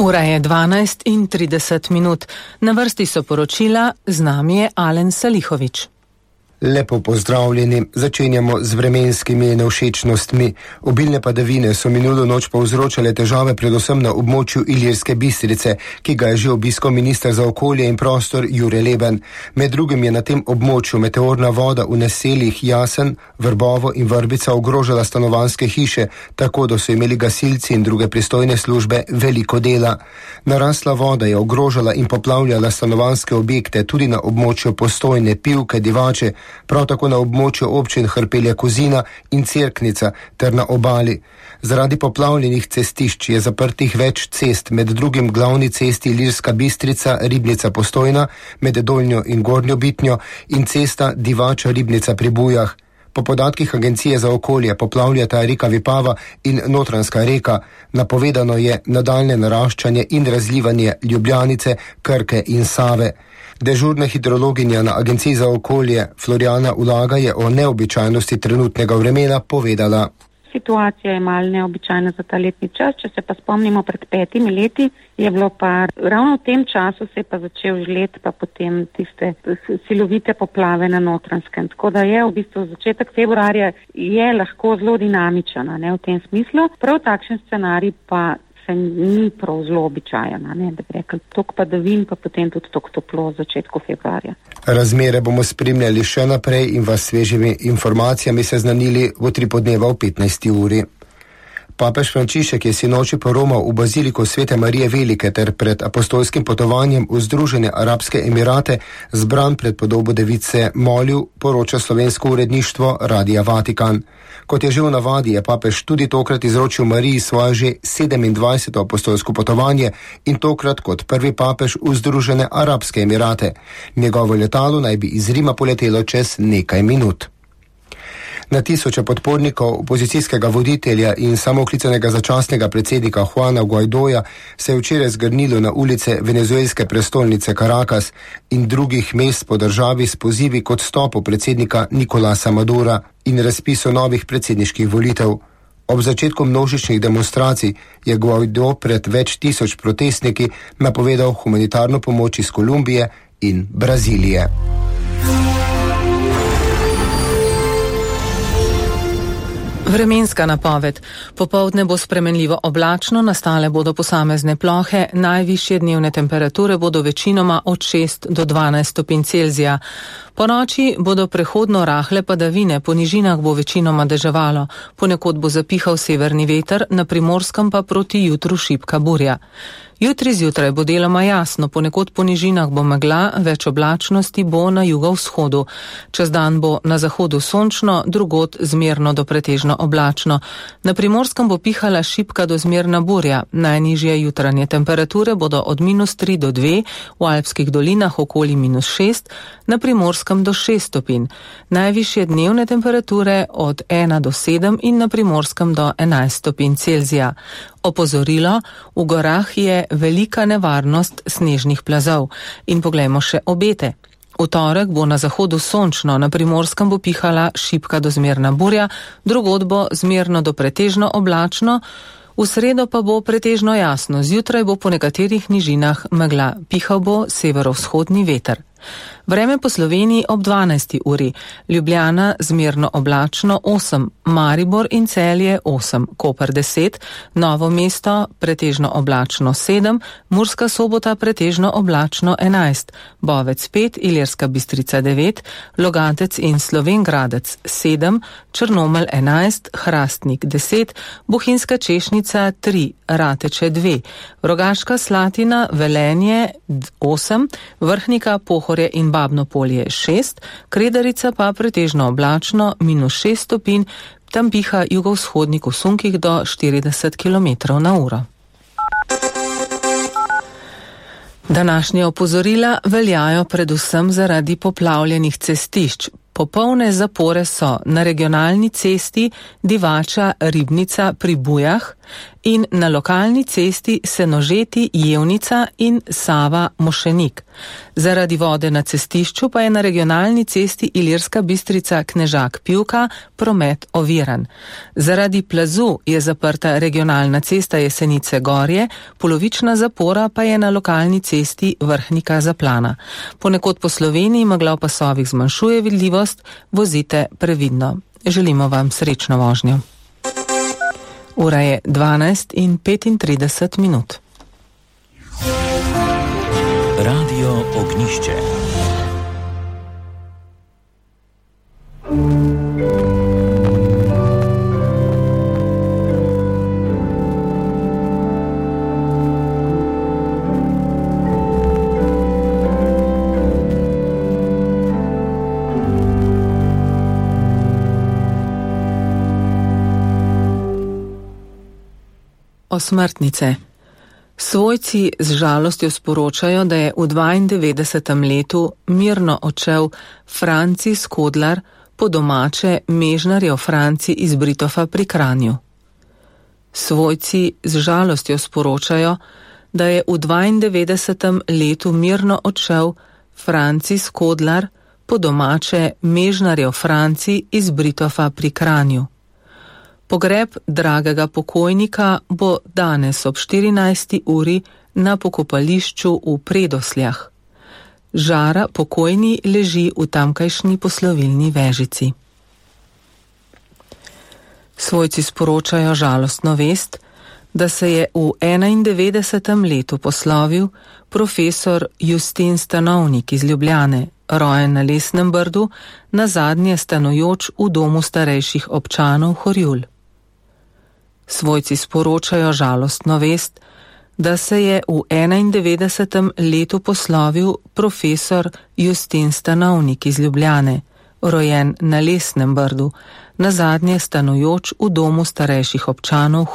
Ura je 12:30. Na vrsti so poročila, z nami je Alen Salihovič. Lepo pozdravljeni, začenjamo z vremenskimi nevšečnostmi. Obilne padavine so minulo noč povzročale težave predvsem na območju Ilirske Bistrice, ki ga je že obiskal minister za okolje in prostor Jure Leben. Med drugim je na tem območju meteorna voda v naseljih Jasen, Vrbovo in Vrbica ogrožala stanovanjske hiše, tako da so imeli gasilci in druge pristojne službe veliko dela. Narasla voda je ogrožala in poplavljala stanovanjske objekte tudi na območju Postojne, Pivke, Divače, prav tako na območju občin Hrpelje Kozina in Cerknica ter na obali. Zaradi poplavljenih cestišč je zaprtih več cest, med drugim glavni cesti Ilirska Bistrica, Ribnica Postojna, med Dolnjo in Gornjo Bitnjo in cesta Divača Ribnica pri Bujah. Po podatkih Agencije za okolje poplavljata reka Vipava in Notranjska reka. Napovedano je nadaljne naraščanje in razlivanje Ljubljanice, Krke in Save. Dežurna hidrologinja na Agenciji za okolje Florjana Ulaga je o neobičajnosti trenutnega vremena povedala. Situacija je malo neobičajna za ta letni čas. Če se pa spomnimo pred 5 leti, je bilo pa ravno v tem času se je pa začel žled, pa potem tiste silovite poplave na Notranjskem. Tako da je v bistvu začetek februarja je lahko zelo dinamičen, ne, v tem smislu. Prav takšen scenarij pa se ni prav zelo običajen, ne, da bi rekli tok padavin, pa potem tudi tok toplo v začetku februarja. Razmere bomo spremljali še naprej in vas svežimi informacijami seznanili v 3 podneva v 15. uri. Papež Frančišek je sinoči poromal v baziliko Svete Marije Velike ter pred apostolskim potovanjem v Združene arabske emirate zbran pred podobo device molil, poroča slovensko uredništvo Radia Vatikan. Kot je že v navadi, je papež tudi tokrat izročil Mariji svoje že 27. apostolsko potovanje in tokrat kot prvi papež v Združene arabske emirate. Njegovo letalo naj bi iz Rima poletelo čez nekaj minut. Na tisoče podpornikov opozicijskega voditelja in samooklicanega začasnega predsednika Juana Guaidoja se je včeraj zgrnilo na ulice venezuelske prestolnice Caracas in drugih mest po državi s pozivi k odstopu predsednika Nicolasa Madura in razpisu novih predsedniških volitev. Ob začetku množičnih demonstracij je Guaido pred več tisoč protestniki napovedal humanitarno pomoč iz Kolumbije in Brazilije. Vremenska napoved. Popoldne bo spremenljivo oblačno, nastale bodo posamezne plohe, najvišje dnevne temperature bodo večinoma od 6 do 12 stopinj Celzija. Po noči bodo prehodno rahle padavine, po nižinah bo večinoma deževalo, ponekod bo zapihal severni veter, na Primorskem pa proti jutru šibka burja. Jutri zjutraj bo deloma jasno, ponekod po nižinah bo megla, več oblačnosti bo na jugovzhodu. Čez dan bo na zahodu sončno, drugod zmerno do pretežno oblačno. Na Primorskem bo pihala šibka do zmerna burja. Najnižje jutranje temperature bodo od -3 do 2, v alpskih dolinah okoli -6, na Primorskem do 6 stopinj. Najvišje dnevne temperature od 1 do 7 in na Primorskem do 11 stopinj Celzija. Opozorilo, v gorah je velika nevarnost snežnih plazov. In poglejmo še obete. V torek bo na zahodu sončno, na Primorskem bo pihala šibka do zmerna burja, drugod bo zmerno do pretežno oblačno, v sredo pa bo pretežno jasno, zjutraj bo po nekaterih nižinah megla, pihal bo severovzhodni veter. Vreme po Sloveniji ob 12. uri. Ljubljana zmerno oblačno 8, Maribor in Celje 8, Koper 10, Novo mesto pretežno oblačno 7, Murska Sobota pretežno oblačno 11, Bovec 5, Ilirska Bistrica 9, Logatec in Slovenj Gradec 7, Črnomelj 11, Hrastnik 10, Bohinjska Češnica 3, Rateče 2, Rogaška Slatina, Velenje 8, Vrhnika, Pohorje in Babno Polje 6, Kredarica pa pretežno oblačno -6 stopinj, tam piha jugovzhodnik v sunkih do 40 km/h. Današnje opozorila veljajo predvsem zaradi poplavljenih cestišč. Popolne zapore so na regionalni cesti Divača Ribnica pri Bujah, in na lokalni cesti Senožeti Jevnica in Sava Mošenik. Zaradi vode na cestišču pa je na regionalni cesti Ilirska Bistrica Knežak Pivka promet oviran. Zaradi plazu je zaprta regionalna cesta Jesenice Gorje, polovična zapora pa je na lokalni cesti Vrhnika Zaplana. Ponekod po Sloveniji megla v pasovih zmanjšuje vidljivost, vozite previdno. Želimo vam srečno vožnjo. Ura je 12:35. Radio Ognišče. Osmrtnice. Svojci z žalostjo sporočajo, da je v 92. letu mirno odšel Franci Skodlar, po domače Mežnarjev Franci iz Britofa pri Kranju. Svojci z žalostjo sporočajo, da je v 92. letu mirno odšel Franci Skodlar, po domače Mežnarjev Franci iz Britofa pri Kranju. Pogreb dragega pokojnika bo danes ob 14. uri na pokopališču v Predosljah. Žara pokojni leži v tamkajšnji poslovilni vežici. Svojci sporočajo žalostno vest, da se je v 91. letu poslovil profesor Justin Stanovnik iz Ljubljane, rojen na Lesnem Brdu, nazadnje stanujoč v domu starejših občanov Horjul. Svojci sporočajo žalostno vest, da se je v 91. letu poslovil profesor Justin Stanovnik iz Ljubljane, rojen na Lesnem Brdu, nazadnje stanujoč v domu starejših občanov